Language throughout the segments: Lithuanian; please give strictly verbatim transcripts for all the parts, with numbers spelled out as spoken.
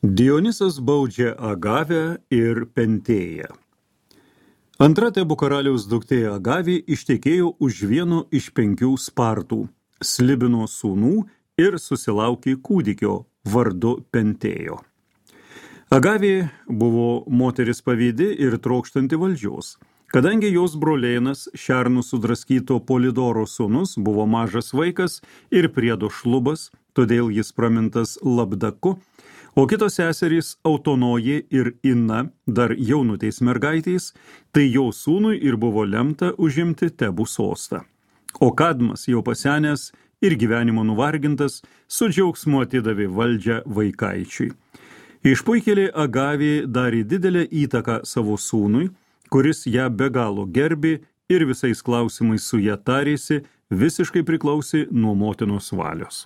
Dionisas baudžia Agavę ir Pentėją. Antra Tebų karaliaus duktė Agavė ištekėjo už vieno iš penkių Spartų, Slibino sūnų ir susilaukė kūdikio vardu Pentėjo. Agavė buvo moteris pavydi ir trokštanti valdžios. Kadangi jos brolėnas šernų sudraskyto Polidoro sūnus buvo mažas vaikas ir priedo šlubas, todėl jis pramintas Labdaku, o kitos seserys Autonojė ir Ina, dar jaunutės mergaitės, tai jo sūnui ir buvo lemta užimti Tebų sostą. O Kadmas jau pasenęs ir gyvenimo nuvargintas, su džiaugsmu atidavė valdžią vaikaičiui. Išpuikėlė Agavė darė didelę įtaką savo sūnui, kuris ją be galo gerbė ir visais klausimais su ją tarėsi, visiškai priklausė nuo motinos valios.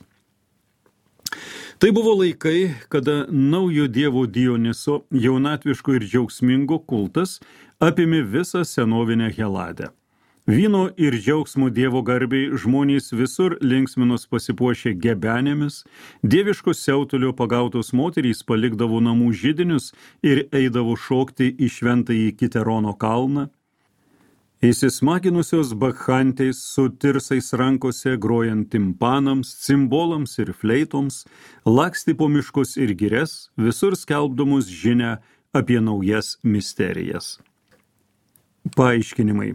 Tai buvo laikai, kada naujo dievo Dioniso jaunatviško ir džiaugsmingo kultas apėmė visą senovinę Heladę. Vyno ir džiaugsmo dievo garbiai žmonės visur linksminos pasipuošė gebenėmis, dieviškos siautulio pagautos moterys palikdavo namų židinius ir eidavo šokti į šventąjį Kiterono kalną. Įsismaginusios bakchantės su tirsais rankose grojant timpanams, cimbolams ir fleitoms, lakstė po miškus ir girias, visur skelbdamus žinią apie naujas misterijas. Paaiškinimai.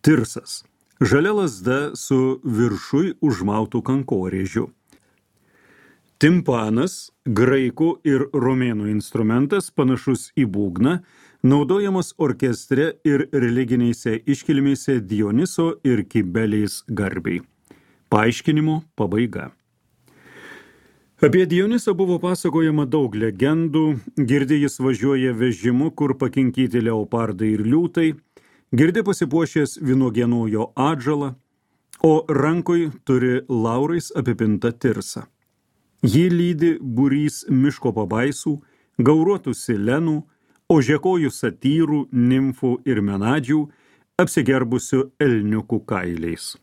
Tirsas. Žalia lazda su viršui užmautų kankorėžiu. Timpanas, graikų ir romėnų instrumentas panašus į būgną, naudojamas orkestre ir religinėse iškilmėse Dioniso ir Kibelės garbiai. Paaiškinimo pabaiga. Apie Dionisą buvo pasakojama daug legendų, girdi jis važiuoja vežimu, kur pakinkyti leopardai ir liūtai, girdi pasipuošęs vynuogienojo atžalą, o rankoj turi laurais apipintą tirsą. Jį lydi būrys miško pabaisų, gauruotų silenų, ožiakojų satyrų, nimfų ir menadžių, apsigerbusių elniukų kailiais.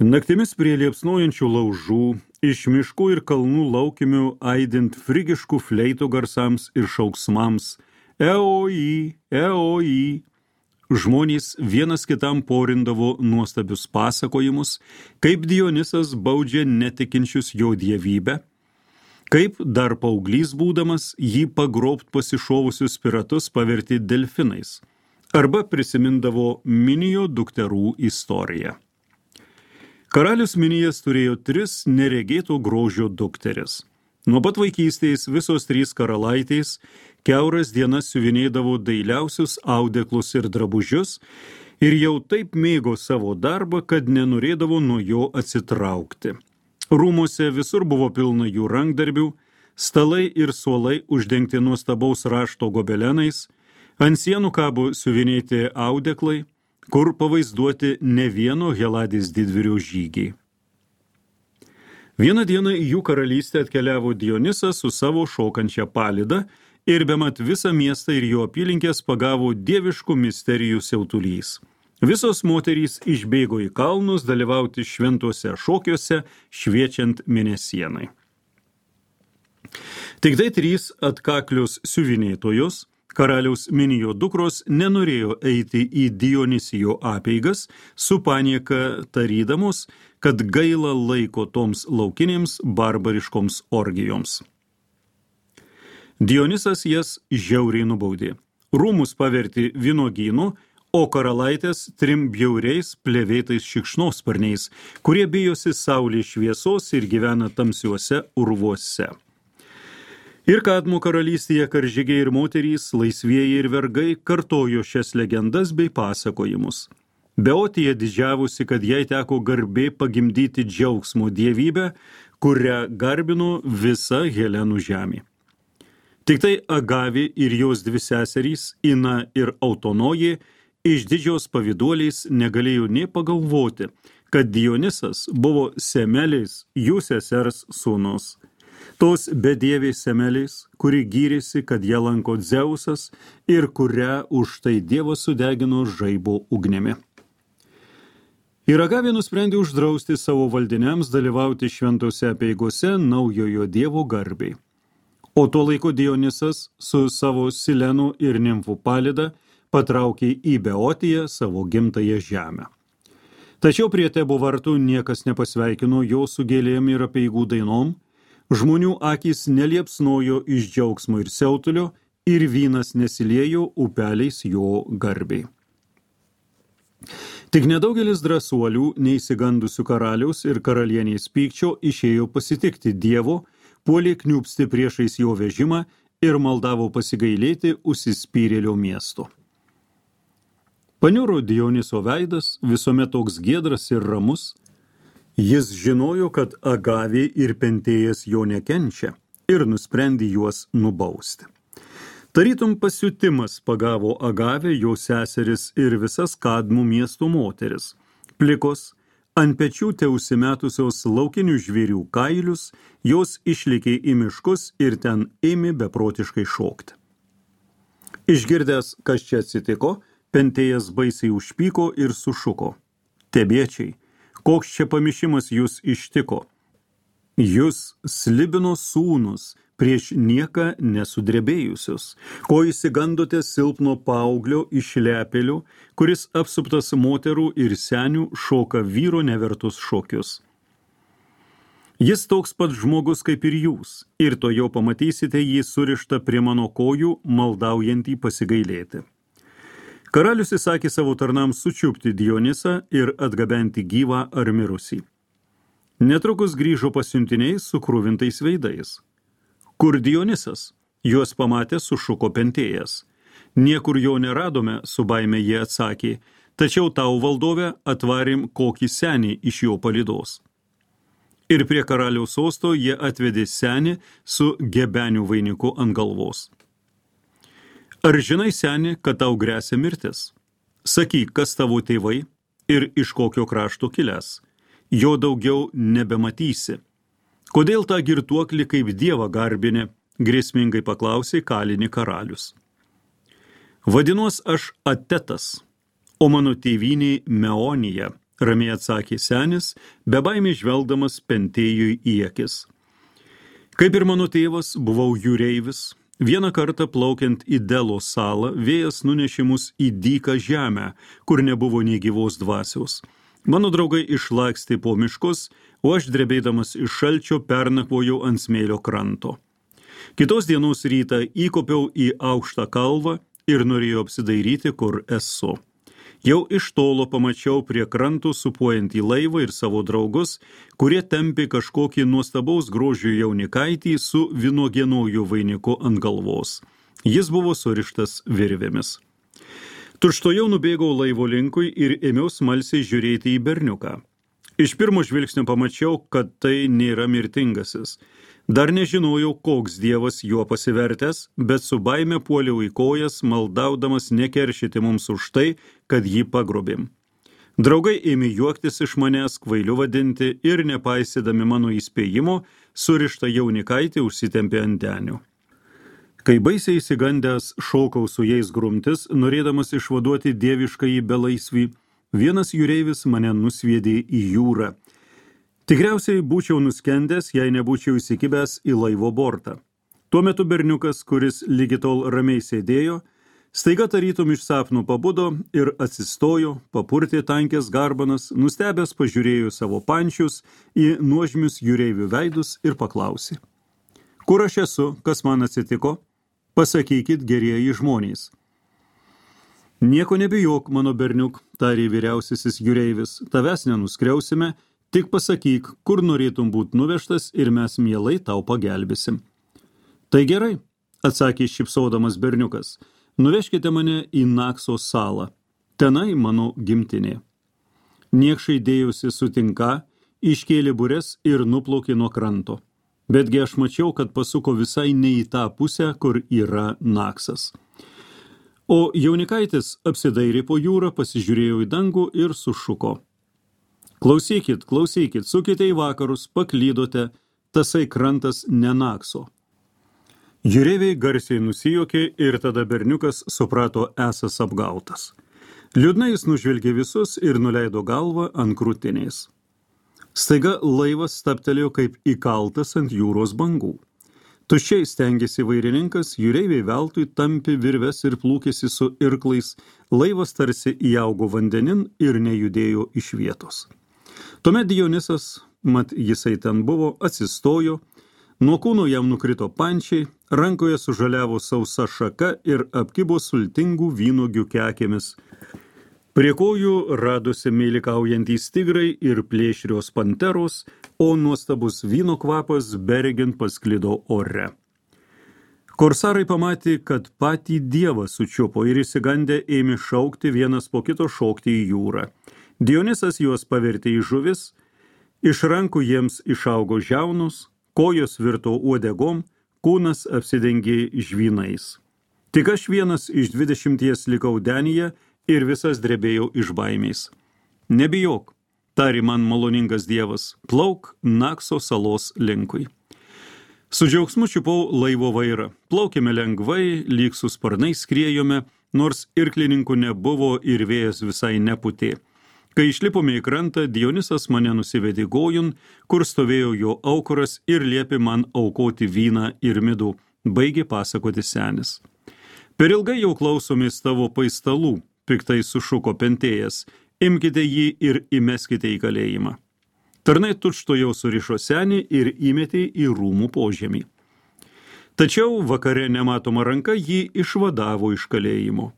Naktimis prie liepsnojančių laužų, iš miškų ir kalnų laukimių aidint frigiškų fleitų garsams ir šauksmams, eoi, eoi, žmonės vienas kitam porindavo nuostabius pasakojimus, kaip Dionisas baudžia netikinčius jo dievybę, kaip dar paauglys būdamas jį pagrobt pasišovusius piratus paverti delfinais, arba prisimindavo Minijo dukterų istoriją. Karalius Minijas turėjo tris neregėto grožio dukteris. Nuo pat vaikystės visos trys karalaitės kiauras dienas siuvinėdavo dailiausius audeklus ir drabužius ir jau taip mėgo savo darbą, kad nenorėdavo nuo jo atsitraukti. Rūmuose visur buvo pilna jų rankdarbių, stalai ir suolai uždengti nuostabaus rašto gobelenais, ant sienų kabo siuvinėti audeklai, kur pavaizduoti ne vieno Heladės didvyrio žygiai. Vieną dieną į jų karalystę atkeliavo Dionisas su savo šokančia palida ir bemat visą miestą ir jo apylinkės pagavo dieviškų misterijų siautulys. Visos moterys išbėgo į kalnus dalyvauti šventuose šokiuose, šviečiant mėnesienai. Tik tai trys atkaklios siuvinėtojos, karaliaus Minijo dukros, nenorėjo eiti į Dionisijo apeigas, su panieka tarydamos, kad gaila laiko toms laukinėms barbariškoms orgijoms. Dionisas jas žiauriai nubaudė. Rūmus pavertė vynuogynu, o karalaitės trim bjauriais plevėtais šikšnosparniais, kurie bijosi saulės šviesos ir gyvena tamsiuose urvuose. Ir Kadmo karalystėje karžygiai ir moterys, laisvieji ir vergai kartojo šias legendas bei pasakojimus. Beotija didžiavusi, kad jai teko garbė pagimdyti džiaugsmo dievybę, kurią garbino visa Helenų žemė. Tik tai Agavė ir jos dvi seserys, Ina ir Autonojė, iš didžios pavyduoliais negalėjo nė pagalvoti, kad Dionisas buvo Semelės, jų sesers sūnus. Tos bedievės Semelės, kuri gyrėsi, kad ją lanko Dzeusas ir kurią už tai Dievas sudegino žaibo ugnimi. Ir Agavė nusprendė uždrausti savo valdiniams dalyvauti šventose apeigose naujojo dievo garbiai. O tuo laiku Dionisas su savo Silenu ir nimfų palida patraukė į Beotiją, savo gimtąją žemę. Tačiau prie Tebo vartų niekas nepasveikino jo su gėlėm ir apeigų dainom, žmonių akys neliepsnojo iš džiaugsmo ir siautulio ir vynas nesiliejo upeliais jo garbei. Tik nedaugelis drąsuolių, neįsigandusių karaliaus ir karalienės pykčio, išėjo pasitikti Dievo, puolė kniūpsti priešais jo vežimą ir maldavo pasigailėti užsispyrėlio miesto. Paniuro Dioniso veidas, visuomet toks giedras ir ramus. Jis žinojo, kad Agavė ir Pentėjas jo nekenčia ir nusprendė juos nubausti. Tarytum pasiutimas pagavo Agavę, jo seseris ir visas Kadmų miesto moteris, plikos, ant pečių teusimetusios laukinių žvėrių kailius, jos išlėkė į miškus ir ten ėmė beprotiškai šokti. Išgirdęs, kas čia atsitiko, Pentėjas baisiai užpyko ir sušuko. Tebiečiai, koks čia pamišimas jūs ištiko? Jūs Slibino sūnus, prieš nieką nesudrebėjusius, ko įsigandote silpno paauglio iš lepelių, kuris apsuptas moterų ir senių šoka vyro nevertus šokius. Jis toks pat žmogus kaip ir jūs, ir to jau pamatysite jį surištą prie mano kojų, maldaujantį pasigailėti. Karalius įsakė savo tarnams sučiupti Dionisą ir atgabenti gyvą ar mirusį. Netrukus grįžo pasiuntiniai su kruvintais veidais. Kur Dionisas? Juos pamatė sušuko Pentėjas. Niekur jo neradome, su baime jie atsakė, tačiau tau valdove atvarėm kokį senį iš jo palydos. Ir prie karaliaus sosto jie atvedė senį su gebenių vainiku ant galvos. Ar žinai, seni, kad tau gresia mirtis? Sakyk, kas tavo tėvai ir iš kokio krašto kilęs. Jo daugiau nebematysi. Kodėl tą girtuoklį kaip dievą garbinė, grėsmingai paklausė kalinį karalius. Vadinuos aš Atetas, o mano tėvynė Meonija, ramiai atsakė senis, bebaimiai žvelgdamas Pentėjui į akis. Kaip ir mano tėvas, buvau jūreivis. Vieną kartą plaukiant į Delo salą, vėjas nunešė mus į dyką žemę, kur nebuvo nei gyvos dvasios. Mano draugai išlakstė po miškus, o aš drebėdamas iš šalčio pernakvojau ant smėlio kranto. Kitos dienos rytą įkopiau į aukštą kalvą ir norėjau apsidairyti, kur esu. Jau iš tolo pamačiau prie krantų supuojantį laivą ir savo draugus, kurie tempė kažkokį nuostabaus grožio jaunikaitį su vynuogienojų vainiku ant galvos. Jis buvo surištas virvėmis. Tučtuojau nubėgau laivo linkui ir ėmiau smalsiai žiūrėti į berniuką. Iš pirmo žvilgsnio pamačiau, kad tai nėra mirtingasis. Dar nežinojau, koks dievas juo pasivertęs, bet su baime puoliau į kojas, maldaudamas nekeršyti mums už tai, kad jį pagrobėm. Draugai ėmė juoktis iš manęs, kvailiu vadinti ir nepaisydami mano įspėjimo, surištą jaunikaitį užsitempė ant denių. Kai baisiai įsigandęs šokau su jais grumtis, norėdamas išvaduoti dieviškąjį belaisvį, vienas jūreivis mane nusviedė į jūrą. Tikriausiai būčiau nuskendęs, jei nebūčiau įsikibęs į laivo bortą. Tuo metu berniukas, kuris lygi tol ramiai sėdėjo, staiga tarytum iš sapno pabudo ir atsistojo, papurtė tankės garbanas, nustebęs pažiūrėjo savo pančius į nuožmius jūreivių veidus ir paklausė. Kur aš esu, kas man atsitiko? Pasakykit, gerieji žmonės. Nieko nebijok, mano berniuk, tarė vyriausiasis jūreivis, tavęs nenuskriausime, tik pasakyk, kur norėtum būt nuvežtas ir mes mielai tau pagelbėsim. Tai gerai, atsakė šypsodamas berniukas, nuvežkite mane į Nakso salą, tenai mano gimtinė. Niekšai dėjusi sutinka, iškėlė bures ir nuplaukė nuo kranto. Betgi aš mačiau, kad pasuko visai ne į tą pusę, kur yra Naksas. O jaunikaitis apsidairė po jūrą, pasižiūrėjo į dangų ir sušuko. Klausykit, klausykit, sukite į vakarus, paklydote, tasai krantas ne Nakso. Jūreiviai garsiai nusijuokė ir tada berniukas suprato esąs apgautas. Liūdnai jis nužvelgė visus ir nuleido galvą ant krūtinės. Staiga laivas stabtelėjo kaip įkaltas ant jūros bangų. Tuščiai stengėsi vairininkas, jūreiviai veltui tampi virves ir plūkėsi su irklais, laivas tarsi įaugo vandenin ir nejudėjo iš vietos. Tuomet Dionisas, mat jisai ten buvo, atsistojo, nuo kūno jam nukrito pančiai, rankoje sužaliavo sausa šaka ir apkibo sultingų vynuogių kekėmis. Prie kojų radosi meilikaujantys tigrai ir plėšrios panteros, o nuostabus vyno kvapas beregint pasklido ore. Korsarai pamatė, kad patį dievą sučiupo ir išsigandę ėmė šaukti vienas po kito šokti į jūrą. Dionisas juos pavertė į žuvis, iš rankų jiems išaugo žiaunus, kojos virto uodegom, kūnas apsidengė žvynais. Tik aš vienas iš dvidešimties likau denyje ir visas drebėjau iš baimės. Nebijok, tari man maloningas dievas, plauk Nakso salos linkui. Su džiaugsmu čiupau laivo vairą, plaukėme lengvai, lyg su sparnais skriejome, nors irklininkų nebuvo ir vėjas visai neputė. Kai išlipome į krantą, Dionisas mane nusivedė gojun, kur stovėjo jo aukuras ir liepė man aukoti vyną ir midų, baigė pasakoti senis. Per ilgai jau klausomės tavo paistalų, piktai sušuko Pentėjas, imkite jį ir įmeskite į kalėjimą. Tarnai tučto jau surišo senį ir įmetė į rūmų požemį. Tačiau vakare nematoma ranka jį išvadavo iš kalėjimo.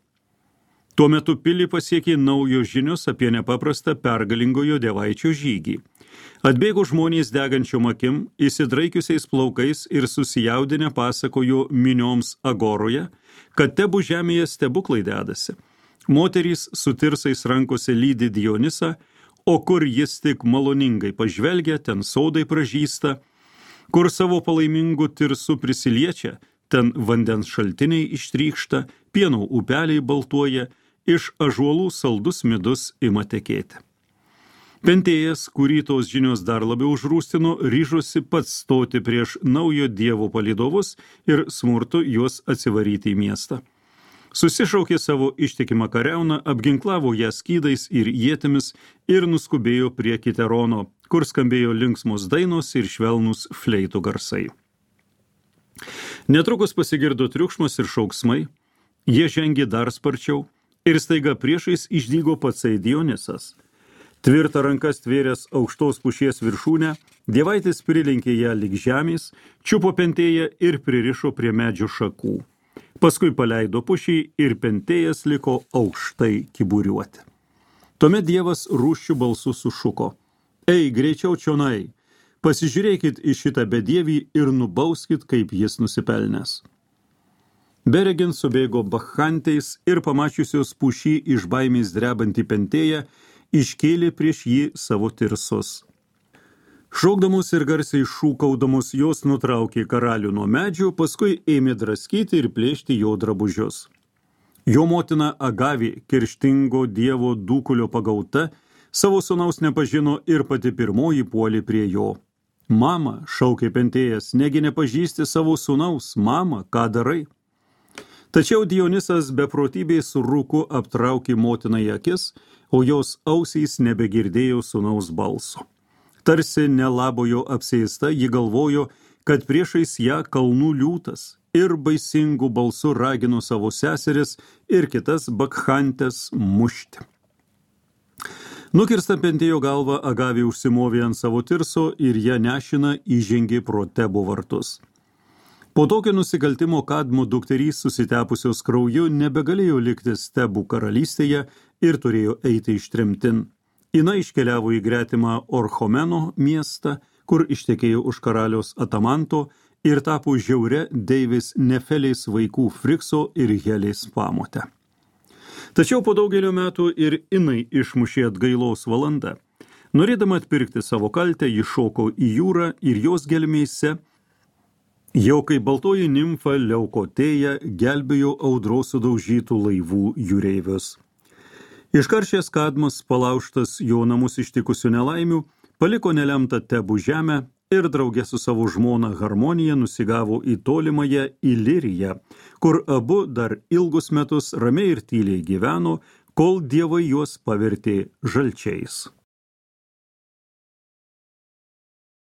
Tuo metu pilį pasiekė naujos žinios apie nepaprastą pergalingojo dievaičio žygį. Atbėgo žmonės degančiom akim, įsidraikiusiais plaukais ir susijaudinę pasakojo minioms agoroje, kad tebu žemėje stebuklai dedasi. Moterys su tirsais rankose lydi Dionisą, o kur jis tik maloningai pažvelgia, ten sodai pražysta, kur savo palaimingu tirsu prisiliečia, ten vandens šaltiniai ištrykšta, pieno upeliai baltuoja, iš ąžuolų saldus midus ima tekėti. Pentėjas, kurį tos žinios dar labiau užrūstino, ryžosi pats stoti prieš naujo dievo palydovus ir smurtu juos atsivaryti į miestą. Susišaukė savo ištikimą kariauną, apginklavo ją skydais ir ietimis ir nuskubėjo prie Kiterono, kur skambėjo linksmos dainos ir švelnūs fleitų garsai. Netrukus pasigirdo triukšmas ir šauksmai, jie žengė dar sparčiau ir staiga priešais išdygo patsai Dionisas. Tvirtą rankas tvėręs aukštos pušies viršūnę, dievaitis prilinkė ją lyg žemės, čiupo Pentėją ir pririšo prie medžio šakų. Paskui paleido pušį ir Pentėjas liko aukštai kiburiuoti. Tuomet dievas rūsčių balsu sušuko: Ei, greičiau čionai, pasižiūrėkit į šitą bedievį ir nubauskit, kaip jis nusipelnęs. Beregint subėgo bakchanteis ir pamačiusios pušį iš baimės drebantį Pentėją, iškėlė prieš jį savo tirsus. Šaukdamos ir garsiai šūkaudamos jos nutraukė karalių nuo medžių, paskui ėmė draskyti ir plėšti jo drabužius. Jo motina Agavė, kerštingo dievo dūkulio pagauta, savo sūnaus nepažino ir pati pirmoji puolė prie jo. Mama, šaukė Pentėjas, negi nepažįsti savo sūnaus, mama, ką darai? Tačiau Dionisas beprotybės rūku aptraukė motinai akis, o jos ausys nebegirdėjo sūnaus balso. Tarsi nelabojo apsėsta, ji galvojo, kad priešais ją kalnų liūtas ir baisingų balsų ragino savo seseris ir kitas bakchantės mušti. Nukirsta Pentėjo galva, Agavė užsimovė ant savo tirso ir ją nešina įžengė pro Tebo vartus. Po tokio nusikaltimo Kadmo dukterys susitepusios krauju nebegalėjo likti Tebų karalystėje ir turėjo eiti ištremtin. Ina iškeliavo į gretimą Orchomeno miestą, kur ištekėjo už karaliaus Atamanto ir tapo žiauria deivės Nefelės vaikų Frikso ir Helės pamotę. Tačiau po daugelio metų ir Inai išmušė atgailos valanda. Norėdama atpirkti savo kaltę, ji šoko į jūrą ir jos gelmėse, jau kai baltoji nimfa Leukotėja gelbėjo audros sudaužytų laivų jūreivius. Iškaršęs Kadmas, palaužtas jo namus ištikusių nelaimių, paliko nelemtą Tebų žemę ir drauge su savo žmona Harmonija nusigavo į tolimąją Iliriją, kur abu dar ilgus metus ramiai ir tyliai gyveno, kol dievai juos pavertė žalčiais.